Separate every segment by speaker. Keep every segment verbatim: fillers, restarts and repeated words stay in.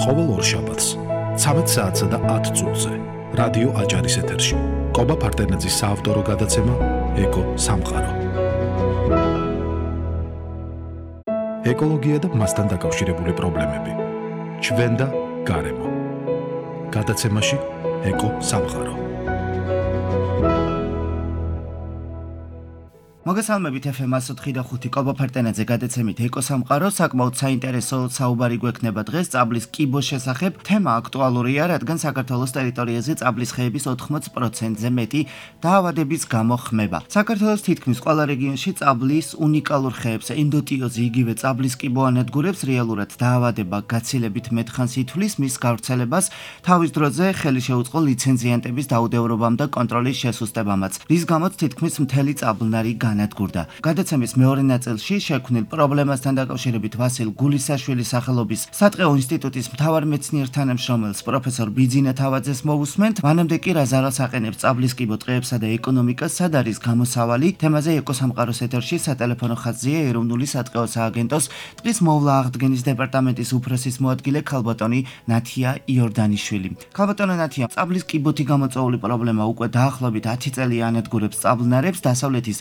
Speaker 1: ყოველ ორშაბათს ცამეტ საათსა და ათ წუთზე რადიო აჯარის ეთერში კობა ფარტენაძის საავტორო გადაცემა ეკო სამყარო. ეკოლოგია და მასთან დაკავშირებული პრობლემები. ჩვენ და გარემო. გადაცემაში ეკო სამყარო.
Speaker 2: მოგესალმებით ეფ ემ εκατო ოთხი და ხუთი კობა ფარტენაძე გადაცემით ეკო სამყარო. საკმაოდ საინტერესო საუბარი გვექნება დღეს წაბლის კიბოს შესახებ. თემა აქტუალურია, რადგან საქართველოს ტერიტორიაზე წაბლის ხეების ოთხმოც პროცენტზე მეტი დაავადების გამო ხმება. საქართველოს თითქმის ყველა რეგიონში წაბლის უნიკალურ ხეებს ენდოტიოზი იგივე წაბლის კიბო ანადგურებს, რეალურად დაავადება გაცილებით მეტხანს ითვლის მის გავრცელებას, თავის დროზე ხელი შეუწყო ლიცენზიანტების დაუდევრობამ და კონტროლის შესუსტებამაც, რის გამოც თითქმის მთელი წაბლნარი განადგურდა. გადაცემის მეორე ნაწილში შექმნილ პრობლემასთან დაკავშირებით ვასილ გულისაშვილის სახელობის სატყეო ინსტიტუტის მთავარ მეცნიერ თანამშრომელს პროფესორ ბიძინა თავაძეს მოვუსმენთ. მანამდე კი რა ზარალს აყენებს წაბლის კიბო ტყეებსა და ეკონომიკას, სად არის გამოსავალი, თემაზე ეკო სამყაროს ეთერში სატელეფონო ხაზია ეროვნული სატყეო სააგენტოს ტყის მოვლა აღდგენის დეპარტამენტის უფროსის მოადგილე ქალბატონი ნათია იორდანიშვილი. ქალბატონო ნათია, წაბლის კიბოთი გამოწვეული პრობლემა უკვე დაახლოებით ათი წელი ანადგურებს წაბლნარებს დასავლეთის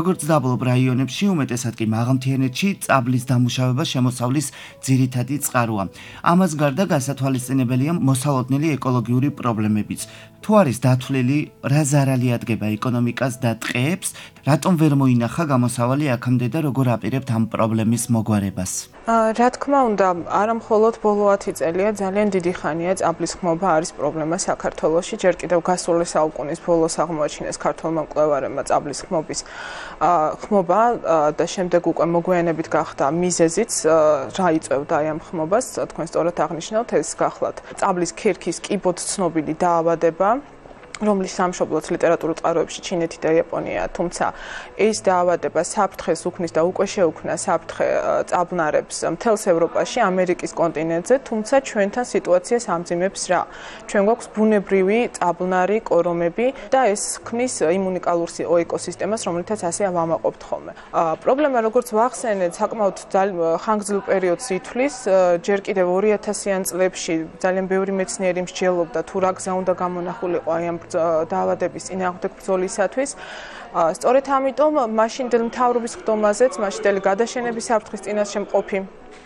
Speaker 2: როგორც დაბლობ რაიონებში, უმეტესად კი მაღალმთიანეთში წაბლის დამუშავება შემოსავლის ძირითადი წყაროა. ამას გარდა გასათვალისწინებელია მოსალოდნელი ეკოლოგიური პრობლემებიც. თუ არის დათვლილი, რა ზარალი ადგება ეკონომიკას და ტყეებს, რატომ ვერ მოინახა გამოსავალი აქამდე და როგორ აპირებთ ამ პრობლემის მოგვარებას?
Speaker 3: რა თქმა უნდა, არა მხოლოდ ბოლო ათი წელია, ძალიან დიდი ხანია წაბლის ხმობა არის პრობლემა საქართველოში. ჯერ კიდევ გასული საუკუნის ბოლოს აღმოაჩინეს ქართველმა მკვლევარებმა წაბლის ხმობის ხმობა და შემდეგ უკვე მოგვიანებით გახდა მიზეზიც, რა იწვევდა აი ამ ხმობას. თქვენ სწორად აღნიშნავთ, ეს გახლავთ წაბლის ქერქის კიბოთ ცნობილი დაავადება, რომლის სამშობლოც ლიტერატურულ წყაროებში ჩინეთი და იაპონია, თუმცა ეს დაავადება საფრთხეს უქმნის და უკვე შეუქმნა საფრთხე წაბლნარებს მთელს ევროპაში, ამერიკის კონტინენტზე, თუმცა ჩვენთან სიტუაციას ამძიმებს რა? ჩვენ გვაქვს ბუნებრივი წაბლნარი კორომები და ეს ქმნის იმუნიკალურ ეკოსისტემას, რომლითაც ასე ვამაყობთ ხოლმე. პრობლემა, როგორც ვახსენეთ, საკმაოდ ხანგრძლივ პერიოდს ითვლის, ჯერ კიდევ ორი ათასიან წლებში ძალიან ბევრი მეცნიერი მსჯელობდა თუ რა გზა უნდა გამონახულიყო აი ამ დაავადების წინააღმდეგ ბრძოლისათვის. სწორედ ამიტომ მაშინდელ მთავრობის ხდომაზეც, მაშინდელი გადაშენების საფრთხის წინაშე მყოფი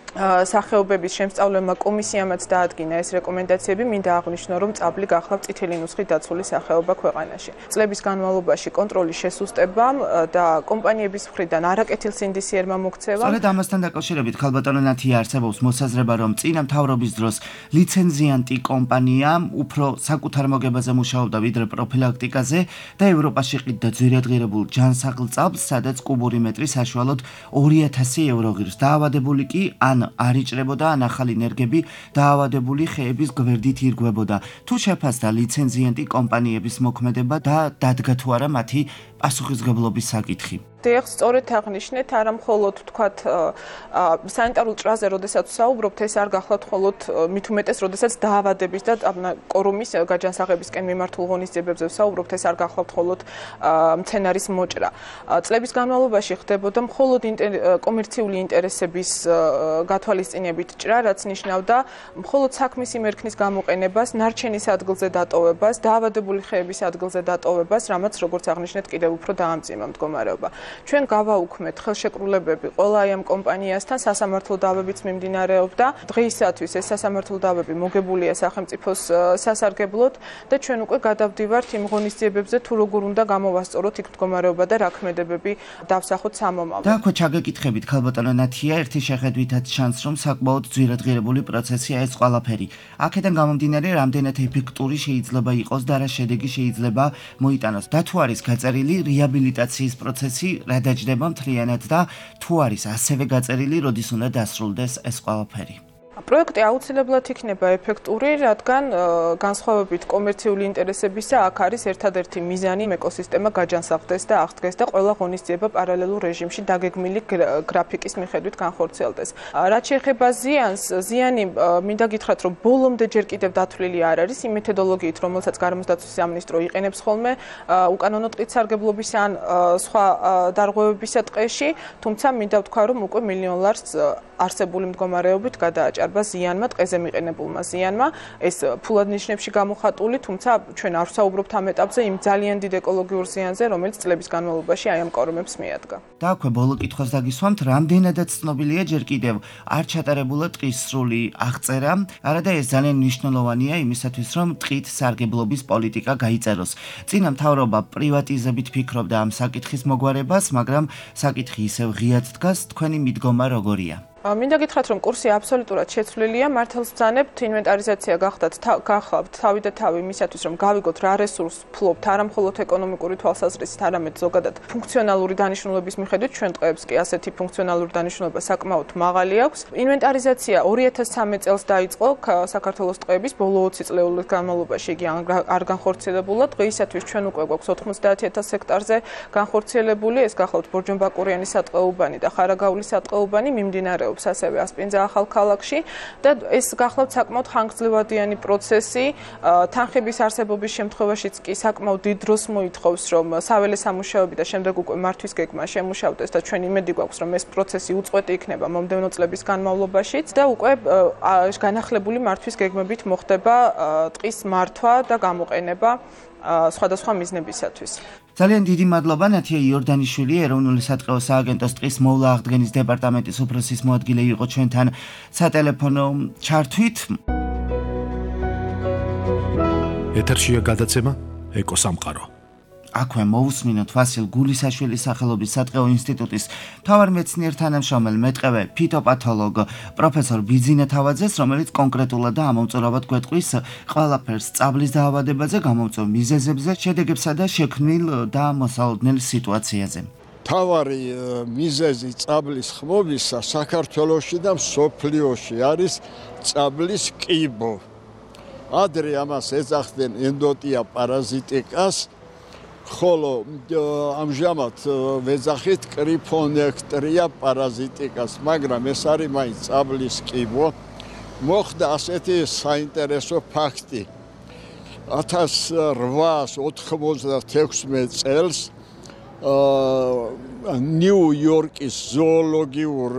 Speaker 3: სახეობების შემსწავლელმა კომისიამაც დაადგინა ეს რეკომენდაციები, მინდა აღვნიშნო, რომ წაბლი გახლავთ წითელი ნუსხით დაცული სახეობა ქვეყანაში. წლების განმავლობაში კონტროლის შესუსტებამ და კომპანიების მხრიდან არაკეთილსინდისიერმა მოქცევამ.
Speaker 2: სწორედ ამასთან დაკავშირებით ქალბატონო ნათია არსებობს მოსაზრება, რომ წინა მთავრობის დროს ლიცენზიანტი კომპანია უფრო საკუთარ მოგებაზე მუშაობდა ვიდრე პროფილაქტიკაზე და ევროპაში ყიდდა ძვირადღირებულ ჯანსაღლ წაბლს, სადაც კუბური მეტრი საშუალოდ ორი ათასი ევრო ღირს. დაავადებული კი ან არ იჭრებოდა, ან ახალი ნერგები დაავადებული ხეების გვერდით ირგვებოდა. თუ შეფასდა ლიცენზიანტი კომპანიების მოქმედება და დადგა თუ არა მათი პასუხისმგებლობის საკითხი?
Speaker 3: დიახ, სწორედ აღნიშნეთ, არა მხოლოდ თქვათ სანიტარულ ჭრაზე, როდესაც ვსაუბრობთ, ეს არ გახლავთ მხოლოდ მით უმეტეს, როდესაც დაავადების და კორომის გაჯანსაღებისკენ მიმართულ ღონისძიებებზე ვსაუბრობთ, ეს არ გახლავთ მხოლოდ მცენარის მოჭრა. წლების განმავლობაში ხდებოდა მხოლოდ კომერციული ინტერესების გათვალისწინებით ჭრა, რაც ნიშნავდა მხოლოდ საქმის იმერქნის გამოყენებას, ნარჩენის ადგილზე დატოვებას, დაავადებული ხეების ადგილზე დატოვებას, რამაც როგორც აღნიშნეთ, კიდევ უფრო დაამძიმა მდგომარეობა. ჩვენ გავაუქმეთ ხელშეკრულებები ყველა აი ამ კომპანიასთან, სასამართლო დავებიც მიმდინარეობდა. დღეისათვის ეს სასამართლო დავები მოგებულია სახელმწიფოს სასარგებლოდ და ჩვენ უკვე გადავდივართ იმ ღონისძიებებზე, თუ როგორ უნდა გამოვასწოროთ იქ მდგომარეობა და რა ქმედებები დავსახოთ სამომავლოდ.
Speaker 2: და ხო ჩაგეკითხებით ქალბატონო ნათია, ერთი შეხედვითაც ჩანს, რომ საკმაოდ ძვირადღირებული პროცესია ეს ყველაფერი. აქედან გამომდინარე, რამდენად ეფექტური შეიძლება იყოს და რა შედეგი შეიძლება მოიტანოს. და თუ არის გაწერილი რეაბილიტაციის პროცესი, რა დაჯდება მთლიანად და თუ არის ასევე გაწერილი, როდის უნდა დასრულდეს ეს ყველაფერი?
Speaker 3: პროექტი აუცილებლად იქნება ეფექტური, რადგან განსხვავებით კომერციული ინტერესებისა, აქ არის ერთადერთი მიზანი ეკოსისტემა გაჯანსაღდეს და აღდგეს და ყველა ღონისძიება პარალელურ რეჟიმში დაგეგმილი გრაფიკის მიხედვით განხორციელდეს. რაც შეეხება ზიანს, ზიანი მინდა გითხრათ, რომ ბოლომდე ჯერ კიდევ დათვლილი არ არის იმ მეთოდოლოგიით, რომელსაც გარემოსდაცვის სამინისტრო იყენებს ხოლმე უკანონო ტყით სარგებლობის ან სხვა დარღვევებისა ტყეში, თუმცა მინდა ვთქვა, რომ უკვე მილიონ ლარს არსებული მდგომარეობით გადააჭარბა გამოხატება ზიანმა, ტყეზე მიყენებულმა ზიანმა, ეს ფულად ნიშნებში გამოხატული, თუმცა ჩვენ არ ვსაუბრობთ ამ ეტაპზე იმ ძალიან დიდ ეკოლოგიურ ზიანზე, რომელიც წლების განმავლობაში აი ამ კორომებს მიადგა.
Speaker 2: და აქვე ბოლო კითხვას დაგისვამთ, რამდენადაც ცნობილია ჯერ კიდევ არ ჩატარებულა ტყის სრული აღწერა, არადა ეს ძალიან მნიშვნელოვანია იმისათვის, რომ ტყით სარგებლობის პოლიტიკა გაიწეროს. წინა მთავრობა პრივატიზებით ფიქრობდა ამ საკითხის მოგვარებას, მაგრამ საკითხი ისევ ღიად დგას, თქვენი მიდგომა როგორია?
Speaker 3: მინდა გითხრათ, რომ კურსი აბსოლუტურად შეცვლილია, მართალს ვძანებთ, ინვენტარიზაცია გახდათ, გახავთ თავი და თავი იმისათვის, რომ გავიგოთ რა რესურსს ფლობთ, არა მხოლოდ ეკონომიკური თვალსაზრისით, არამედ ზოგადად ფუნქციონალური დანიშნულების მიხედვით, ჩვენ ტყეებს კი ასეთი ფუნქციონალური დანიშნულება საკმაოდ მაღალი აქვს. ინვენტარიზაცია ორი ათას სამი წელს დაიწყო საქართველოს ტყეების ბოლო ოცი წლეულის განმავლობაში იგი არ განხორციელებულა. დღეისათვის ჩვენ უკვე გვაქვს ოთხმოცდაათი ათას ჰექტარზე განხორციელებული, ეს გახლავთ ბორჯომბაკურიანის სატყეუბანი და ხარაგაულის სატყეუბანი მიმდინარეობს ასევე ასპინძა ახალ ქალაქში და ეს გახლავთ საკმაოდ ხანგრძლივადიანი პროცესი, თანხების არსებობის შემთხვევაშიც კი საკმაოდ დიდ დროს მოითხოვს, რომ საველე სამუშაოები და შემდეგ უკვე მართვის გეგმა შემუშავდეს და ჩვენ იმედი გვაქვს, რომ ეს პროცესი უწყვეტი იქნება მომდევნო წლების განმავლობაშიც და უკვე განახლებული მართვის გეგმებით მოხდება ტყის მართვა და გამოყენება სხვადასხვა მიზნებისათვის.
Speaker 2: ძალიან დიდი მადლობა ნათია იორდანიშვილი, ეროვნული სატყეო სააგენტოს ტყის მოვლა აღდგენის დეპარტამენტის უფროსის მოადგილე იყო ჩვენთან სატელეფონო ჩართვით.
Speaker 1: ეთერშია გადაცემა ეკოსამყარო.
Speaker 2: აქვე მოусმინოთ ვასილ გულისაშვილის სახელობის სატყეო ინსტიტუტის მთავარ მეცნიერ თანამშრომელ მეტყევე ფიტოპათოლოგ პროფესორ ბიძინა თავაძეს, რომელიც კონკრეტულად და ამომწურავად გვეტყვის ყველაფერს წაბლის დაავადებაზე, გამომწვევ მიზეზებზე, შედეგებსა და შექმნილ და მოსალოდნელ სიტუაციაზე.
Speaker 4: მთავარი მიზეზი წაბლის ხმობისა საქართველოში და მსოფლიოში არის წაბლის კიბო. ადრე ამას ეძახდნენ ენდოტია პარაზიტიკას, ხოლო ამჟამად ვეძახით კრიფონექტრია პარაზიტიკას, მაგრამ ეს არის მაინც წაბლის კიბო. მოხდა ასეთი საინტერესო ფაქტი. ათას რვაას ოთხმოცდათექვსმეტ წელს ნიუ-იორკის ზოოლოგიურ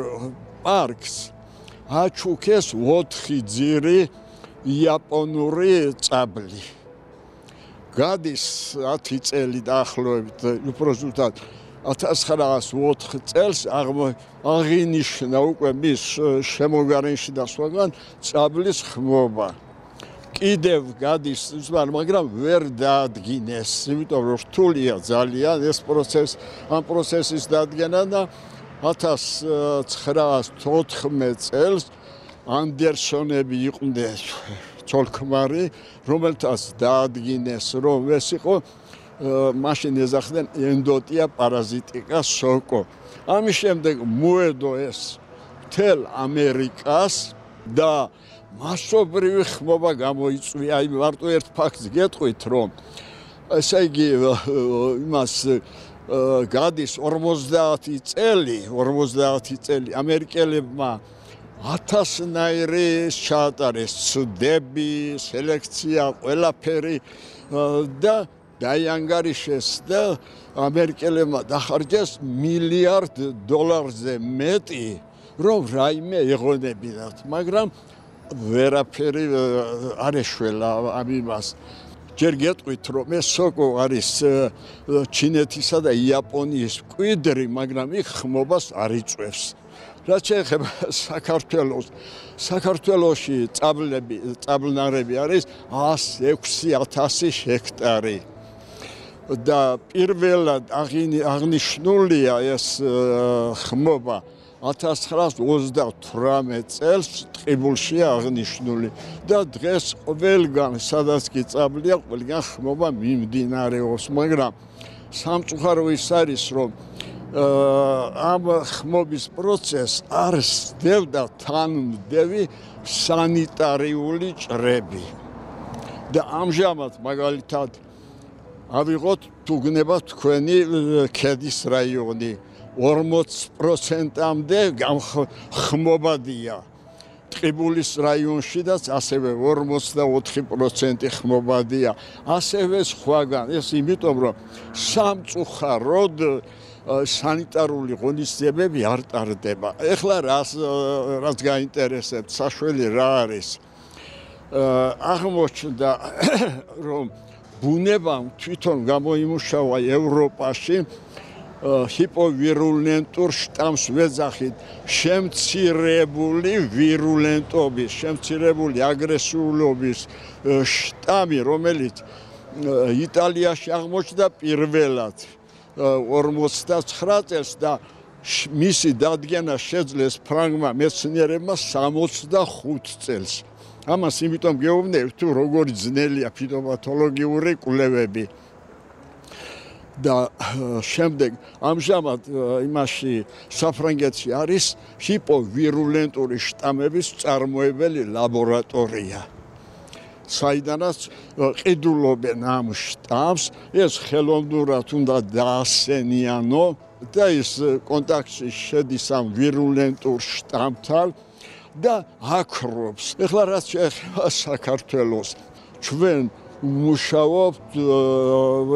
Speaker 4: პარკს აჩუქეს ოთხი ძირი იაპონური წაბლი. გადის ათი წელი დაახლოებით, უფრო ზუსტად ათას ცხრაას ოთხ წელს აღინიშნა უკვე მის შემოგარენში და სხვაგან წაბლის ხმობა. კიდევ გადის, მაგრამ ვერ დაადგინეს, იმიტომ რომ რთულია ძალიან ეს პროცესი, ამ პროცესის დადგენა და ათას ცხრაას თოთხმეტ წელს ანდერსონები იყვნენ ცოლ-ქმარი, რომელთაც დაადგინეს, რომ ეს იყო მაშინ ეძახდნენ ენდოტია პარაზიტიკა სოკო. ამის შემდეგ მოედო ეს მთელ ამერიკას და მასობრივი ხმობა გამოიწვია. აი მარტო ერთ ფაქტს გეტყვით, რომ ესე იგი იმას გადის ორმოცდაათი წელი, ორმოცდაათი წელი ამერიკელებმა ათასნაირი ჩაატარეს ცდები, სელექცია, ყველაფერი და დაიანგარიშეს და ამერიკელებმა დახარჯეს მილიარდ დოლარზე მეტი, რომ რაიმე ეღონებინათ, მაგრამ ვერაფერი არ ეშველა ამ იმას. ჯერ გეტყვით, რომ ეს სოკო არის ჩინეთისა და იაპონიის მკვიდრი, მაგრამ იქ ხმობას არ იწვევს. რაც შეეხება საქართველოს, საქართველოში წაბლები, წაბლნარები არის ასი ექვსი ათასი ჰექტარი. და პირველად აღნიშნულია ეს ხმობა ათას ცხრაას ოცდათვრამეტ წელს ტყიბულშია აღნიშნული და დღეს ყველგან სადაც კი წაბლია, ყველგან ხმობა მიმდინარეობს, მაგრამ სამწუხარო ის არის, რომ ამ ხმობის პროცესს არ სდევდა თანმდევი სანიტარიული ჭრები. და ამჟამად მაგალითად ავიღოთ თუ გნებათ თქვენი ქედის რაიონი ორმოც პროცენტამდე ხმობადია. ტყიბულის რაიონშიდაც ასევე ორმოცდაოთხი პროცენტი ხმობადია. ასევე სხვაგან, ეს იმიტომ რომ სამწუხაროდ სანიტარული ღონისძიებები არ ტარდება. ეხლა რას რაც გაინტერესებთ, საშველი რა არის? აღმოჩნდა რომ ბუნებამ თვითონ გამოიმუშავა ევროპაში ჰიპოვირულენტურ შტამს ვეძახით შემცირებული ვირულენტობის, შემცირებული აგრესიულობის შტამი, რომელიც იტალიაში აღმოჩნდა პირველად ორმოცდაცხრა წელს და მისი დადგენა შეძლეს ფრანგმა მეცნიერებმა სამოცდახუთ წელს. ამას იმიტომ გეუბნებით, თუ როგორი ძნელია ფიტოპათოლოგიური კვლევები. და შემდეგ ამჟამად იმაში საფრანგეთში არის ჰიპოვირულენტური შტამების წარმოებელი ლაბორატორია. საიდანაც ყიდულობენ ამ შტამს, ეს ხელოვნურად უნდა დაასენიანო და ის კონტაქტში შედის ამ ვირულენტურ შტამთან და აქრობს. ეხლა რაც შეეხება საქართველოს, ჩვენ ვმუშაობთ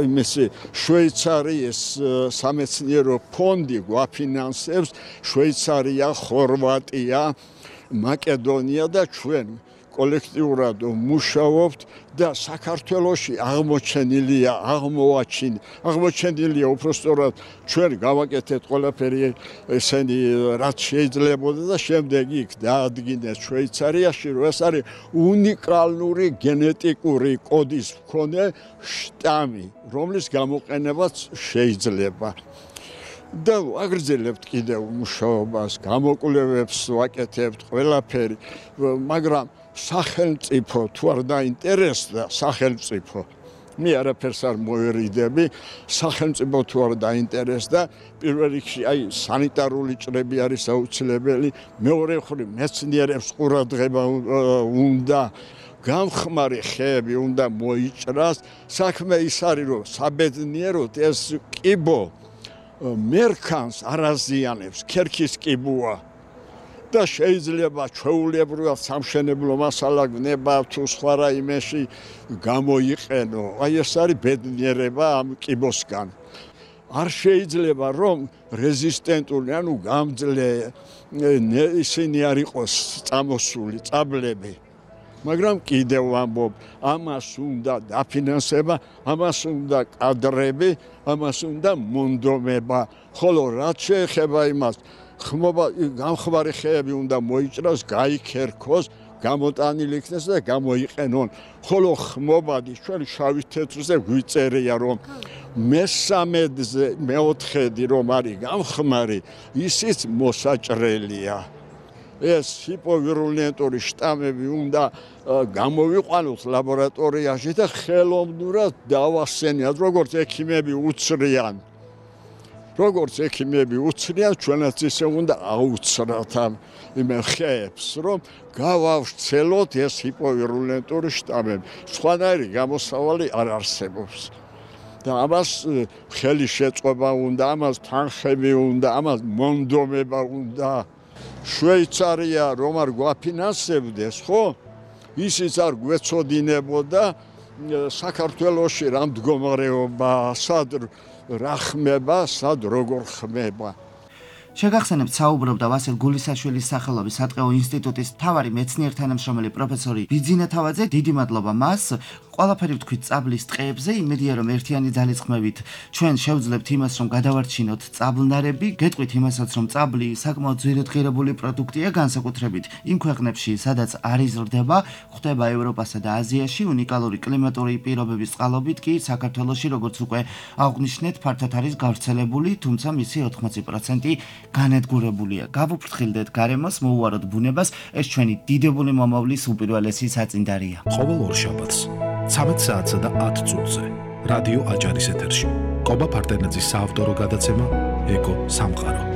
Speaker 4: იმისი შვეიცარიის სამეცნიერო ფონდი გვაფინანსებს შვეიცარია, ხორვატია, მაკედონია და ჩვენ კოლექტიურად ვმუშაობთ და საქართველოში აღმოჩენილია, აღმოაჩინ, აღმოჩენილია უпростоრად ჩვენ გავაკეთეთ ყველაფერი ესენი რაც შეიძლებოდა და შემდეგ იქ დაადგინეს შვეიცარიაში, რომ ეს არის უნიკალური გენეტიკური კოდის მქონე შტამი, რომლის გამოყენებაც შეიძლება. და აგრძელებთ კიდევ მუშაობას, გამოკვლევებს ვაკეთებთ ყველაფერი, მაგრამ სახელმწიფო თუ არ დაინტერესდა სახელმწიფო მე არაფერს არ მოვერიდები სახელმწიფო თუ არ დაინტერესდა პირველ რიგში აი სანიტარული ჭრები არის აუცილებელი მეორე მხრივ მეცნიერებს ყურადღება უნდა გამხმარი ხეები უნდა მოიჭრას საქმე ის არის რომ საბედნიეროდ ეს კიბო მერქანს არაზიანებს ქერქის კიბოა და შეიძლება ჩვეულებრივად სამშენებლო მასალა გნება თუ სხვა რაიმეში გამოიყენო. აი ეს არის ბედნიერება ამ კიბოსგან. არ შეიძლება რომ რეზისტენტული, ანუ გამძლე ისინი არ იყოს წამოსული, წაბლები. მაგრამ კიდევ ვამბობ, ამას უნდა დაფინანსება, ამას უნდა კადრები, ამას უნდა მონდომება. ხოლო რაც შეეხება იმას ხმობა გამხმარი ხეები უნდა მოიჭრას, გაიქერქოს, გამოტანილი იქნეს და გამოიყენონ. ხოლო ხმობადი ჩვენ შავი თეთრზე გვიწერია რომ მესამედზე მეოთხედი რომ არის გამხმარი, ისიც მოსაჭრელია. ეს ჰიპოვირულენტური შტამები უნდა გამოვიყვანოთ ლაბორატორიაში და ხელოვნურად დავასენიათ, როგორც ექიმები უცრიან. როგორც ექიმები უცრიან, ჩვენაც ისე უნდა აუცრათ ამ ხეებს, რომ გავავრცელოთ ეს ჰიპოვირულენტური შტამები. სხვანაირი გამოსავალი არ არსებობს. და ამას ხელი შეწყობა უნდა, ამას თანხები უნდა, ამას მონდომება უნდა. შვეიცარია რომ არ გვაფინანსებდეს, ხო? ისიც არ გვეცოდინებოდა საქართველოში რა მდგომარეობა, სად რა ხმება, სად როგორ ხმება.
Speaker 2: შეგახსენებთ, საუბრობდა ვასილ გულისაშვილის სახელობის სატყეო ინსტიტუტის მთავარი მეცნიერ-თანამშრომელი პროფესორი ბიძინა თავაძე. დიდი მადლობა მას. ყველაფერი ვთქვით წაბლის ტყეებზე, იმედია რომ ერთიანი ძალისხმევით ჩვენ შევძლებთ იმას, რომ გადავარჩინოთ წაბლნარები, გეტყვით იმასაც, რომ წაბლი საკმაოდ ძვირადღირებული პროდუქტია, განსაკუთრებით იმ ქვეყნებში, სადაც არ იზრდება, გვხვდება ევროპასა და აზიაში, უნიკალური კლიმატური პირობების წყალობით კი საქართველოში, როგორც უკვე აღვნიშნეთ, ფართოდ არის გავრცელებული, თუმცა მისი ოთხმოცი პროცენტი განადგურებულია. გავუფრთხილდეთ გარემოს, მოუვაროთ ბუნებას, ეს ჩვენი დიდებული მომავლის უპირველესი საწინდარია.
Speaker 1: ყოველ ორშაბათს ცამეტ საათსა და ათ წუთზე რადიო აჭარის ეთერში. კობა ფარტენაძის საავტორო გადაცემა ეკო სამყარო.